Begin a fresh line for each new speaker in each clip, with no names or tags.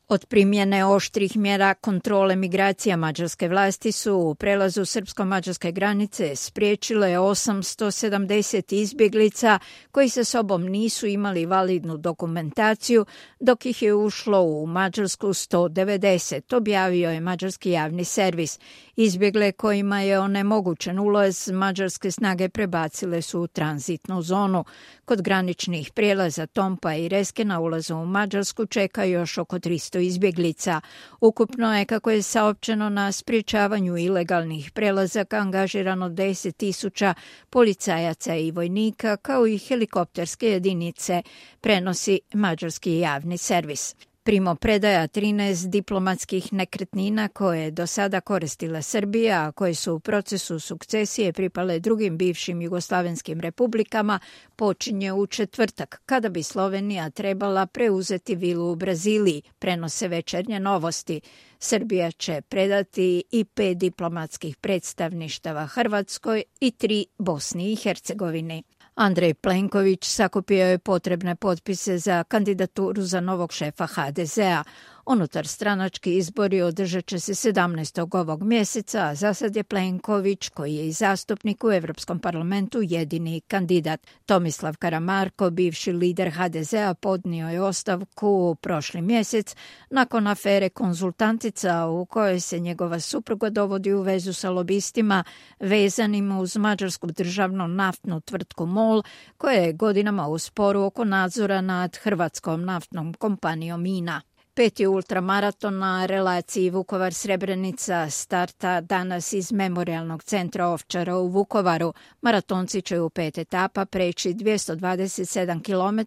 Od primjene oštrih mjera kontrole migracija mađarske vlasti su u prelazu srpsko-mađarske granice spriječile 870 izbjeglica koji sa sobom nisu imali validnu dokumentaciju, dok ih je ušlo u Mađarsku 190, objavio je mađarski javni servis. Izbjegle kojima je onemogućen ulaz mađarske snage prebacile su u tranzitnu zonu. Kod graničnih prijelaza Tompa i Reske na ulazu u Mađarsku čeka još oko 300 izbjeglica. Ukupno je, kako je saopćeno, na sprječavanju ilegalnih prelazaka angažirano 10.000 policajaca i vojnika, kao i helikopterske jedinice, prenosi mađarski javni servis. Primopredaja 13 diplomatskih nekretnina koje je do sada koristila Srbija, a koje su u procesu sukcesije pripale drugim bivšim jugoslavenskim republikama, počinje u četvrtak, kada bi Slovenija trebala preuzeti vilu u Braziliji, prenose Večernje novosti. Srbija će predati i 5 diplomatskih predstavništava Hrvatskoj i 3 Bosni i Hercegovini. Andrej Plenković sakupio je potrebne potpise za kandidaturu za novog šefa HDZ-a. Unutar stranački izbori održat će se 17. ovog mjeseca, a za sad je Plenković, koji je i zastupnik u Europskom parlamentu, jedini kandidat. Tomislav Karamarko, bivši lider HDZ-a, podnio je ostavku prošli mjesec nakon afere Konzultantica, u kojoj se njegova supruga dovodi u vezu sa lobistima vezanim uz mađarsku državnu naftnu tvrtku MOL, koja je godinama u sporu oko nadzora nad hrvatskom naftnom kompanijom INA. 5. ultramaraton na relaciji Vukovar-Srebrenica starta danas iz Memorijalnog centra Ovčara u Vukovaru. Maratonci će u 5 etapa preći 227 km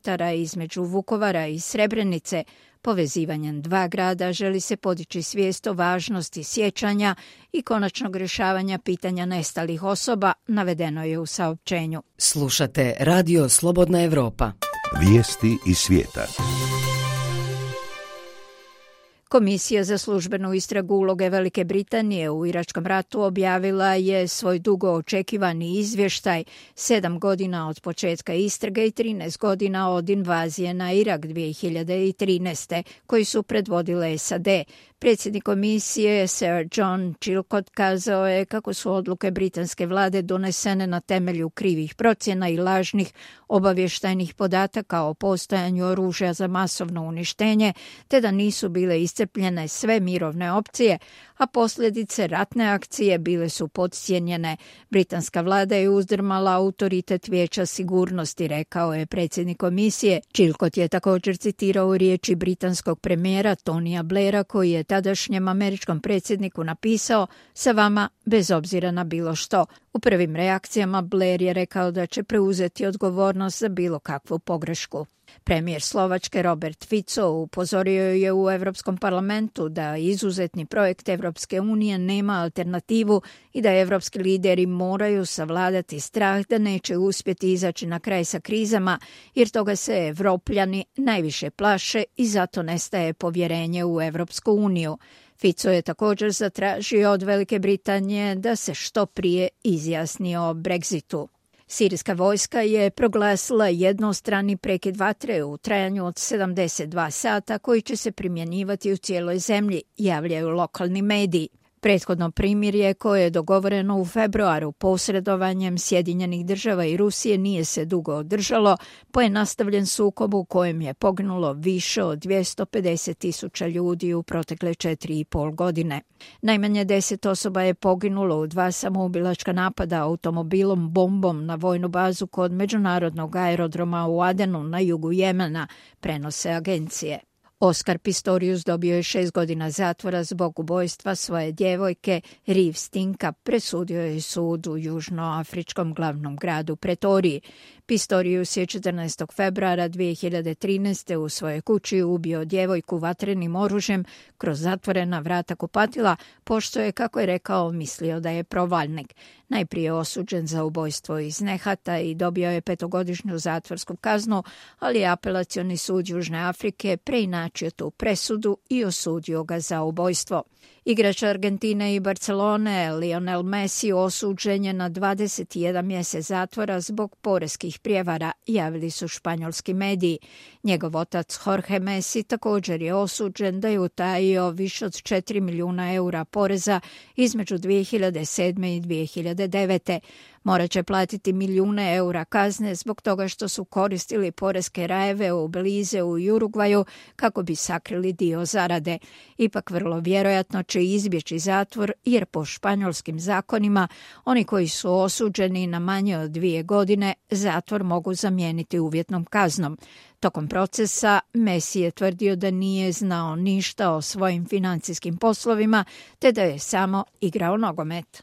između Vukovara i Srebrenice. Povezivanjem dva grada želi se podići svijest o važnosti sjećanja i konačnog rješavanja pitanja nestalih osoba, navedeno je u saopćenju.
Slušate Radio Slobodna Evropa.
Vijesti iz svijeta.
Komisija za službenu istragu uloge Velike Britanije u Iračkom ratu objavila je svoj dugo očekivani izvještaj, 7 godina od početka istrage i 13 godina od invazije na Irak 2013. koji su predvodile SAD. Predsjednik komisije Sir John Chilcot kazao je kako su odluke britanske vlade donesene na temelju krivih procjena i lažnih obavještajnih podataka o postojanju oružja za masovno uništenje, te da nisu bile iscrpljene sve mirovne opcije, a posljedice ratne akcije bile su podcijenjene. Britanska vlada je uzdrmala autoritet Vijeća sigurnosti, rekao je predsjednik komisije. Chilcot je također citirao riječi britanskog premijera Tonija Blaira, koji je tadašnjem američkom predsjedniku napisao: "Sa vama bez obzira na bilo što." U prvim reakcijama Blair je rekao da će preuzeti odgovornost za bilo kakvu pogrešku. Premijer Slovačke Robert Fico upozorio je u Europskom parlamentu da izuzetni projekt Europske unije nema alternativu i da evropski lideri moraju savladati strah da neće uspjeti izaći na kraj sa krizama, jer toga se Evropljani najviše plaše i zato nestaje povjerenje u Europsku uniju. Fico je također zatražio od Velike Britanije da se što prije izjasni o Brexitu. Sirijska vojska je proglasila jednostrani prekid vatre u trajanju od 72 sata koji će se primjenjivati u cijeloj zemlji, javljaju lokalni mediji. Prethodno primirje koje je dogovoreno u februaru posredovanjem Sjedinjenih država i Rusije nije se dugo održalo, pa je nastavljen sukob u kojem je poginulo više od 250.000 ljudi u protekle 4,5 godine. Najmanje 10 osoba je poginulo u 2 samoubilačka napada automobilom bombom na vojnu bazu kod međunarodnog aerodroma u Adenu na jugu Jemena, prenose agencije. Oscar Pistorius dobio je 6 godina zatvora zbog ubojstva svoje djevojke Riv Stinka, presudio je sud u južnoafričkom glavnom gradu Pretoriji. Pistorius je 14. februara 2013. u svojoj kući ubio djevojku vatrenim oružjem kroz zatvorena vrata kupatila, pošto je, kako je rekao, mislio da je provalnik. Najprije osuđen za ubojstvo iz nehata i dobio je 5-godišnju zatvorsku kaznu, ali apelacioni sud Južne Afrike preinačio tu presudu i osudio ga za ubojstvo. Igrač Argentine i Barcelone, Lionel Messi, osuđen je na 21 mjesec zatvora zbog poreskih prijevara, javili su španjolski mediji. Njegov otac Jorge Messi također je osuđen da je utajio više od 4 milijuna eura poreza između 2007. i 2009. Morat će platiti milijune eura kazne zbog toga što su koristili poreske rajeve u Belizeu i Urugvaju kako bi sakrili dio zarade. Ipak vrlo vjerojatno će izbjeći zatvor jer po španjolskim zakonima oni koji su osuđeni na manje od 2 godine zatvor mogu zamijeniti uvjetnom kaznom. Tokom procesa Messi je tvrdio da nije znao ništa o svojim financijskim poslovima te da je samo igrao nogomet.